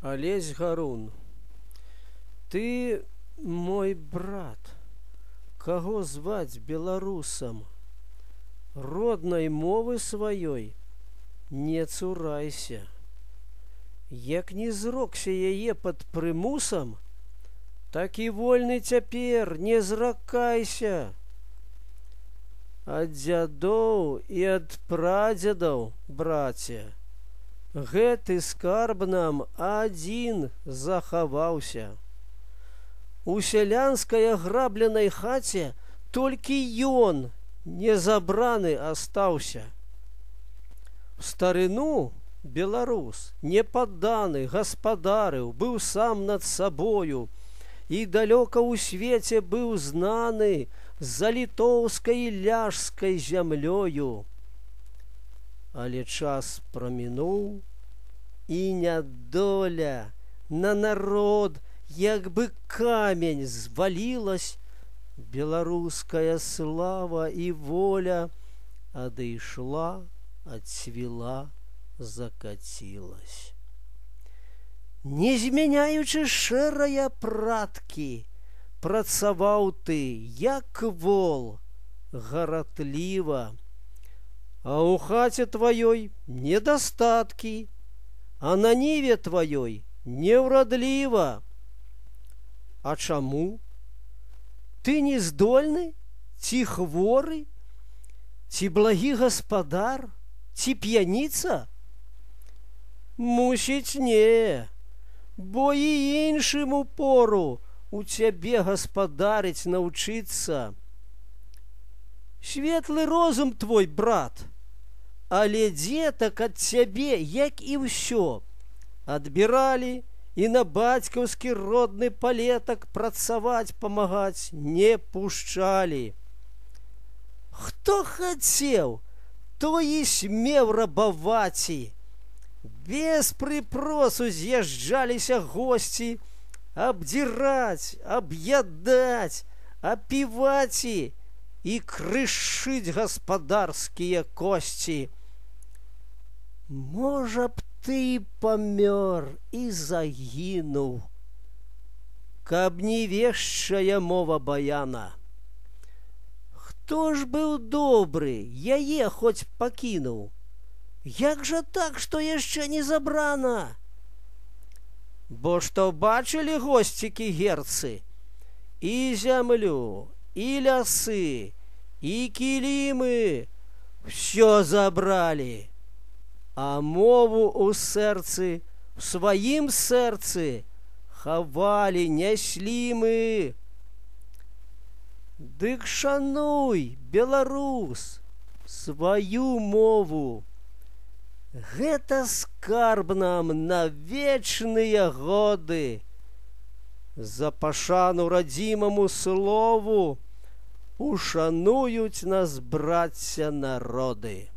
Олесь Гарун, ты мой брат, каго зваць беларусам, роднай мовы сваёй не цурайся. Як не зрокся яе пад прымусам, так і вольны цяпер не зракайся. Ад дзядоў і ад прадзедаў, браце, гэты скарб нам адзін захаваўся. У сялянскай аграбленай хаце толькі ён не забраны астаўся. В старыну беларус, непадданы, гаспадарыў, быў сам над сабою і далёка ў свеце быў знаны за літоўскай і ляжскай зямлёю. Але час прамінуў, і нядоля на народ, як бы камень, звалілась, беларуская слава і воля адышла, адцвіла, закацілась. Не змяняючы шэрая праткі, працаваў ты, як вол, гаратліва, а ў хаце тваёй недастаткі, а на ніве тваёй неўрадліва. А чаму? Ты не здольны, ці хворы, ці благі гаспадар, ці п'яніца? Мусіць, не, бо і іншым упору у цябе гаспадарыць навчыцца. Светлы розум твой, брат, але дзетак ад цябе, як і ўсё, адбіралі і на бацькаўскі родны палетак працаваць памагаць не пушчалі. Хто хацеў, той і смеў рабаваці. Без прыпросу з'язджаліся госці абдзіраць, аб'ядаць, апіваці і крышыць гаспадарскія косці. Можа б ты памёр і загінуў, каб не вешчая мова баяна. Хто ж быў добры, яе хоць пакінуў? Як жа так, што яшчэ не забрана? Бо што бачылі госцікі герцы? І зямлю, і лясы, і кілімы ўсё забралі, а мову ў сэрцы, у сваім сэрцы хавалі, няслі мы. Дык шануй, беларус, сваю мову. Гэта скарб нам на вечныя годы. За пашану радзімаму слову ушануюць нас, брацця, народы.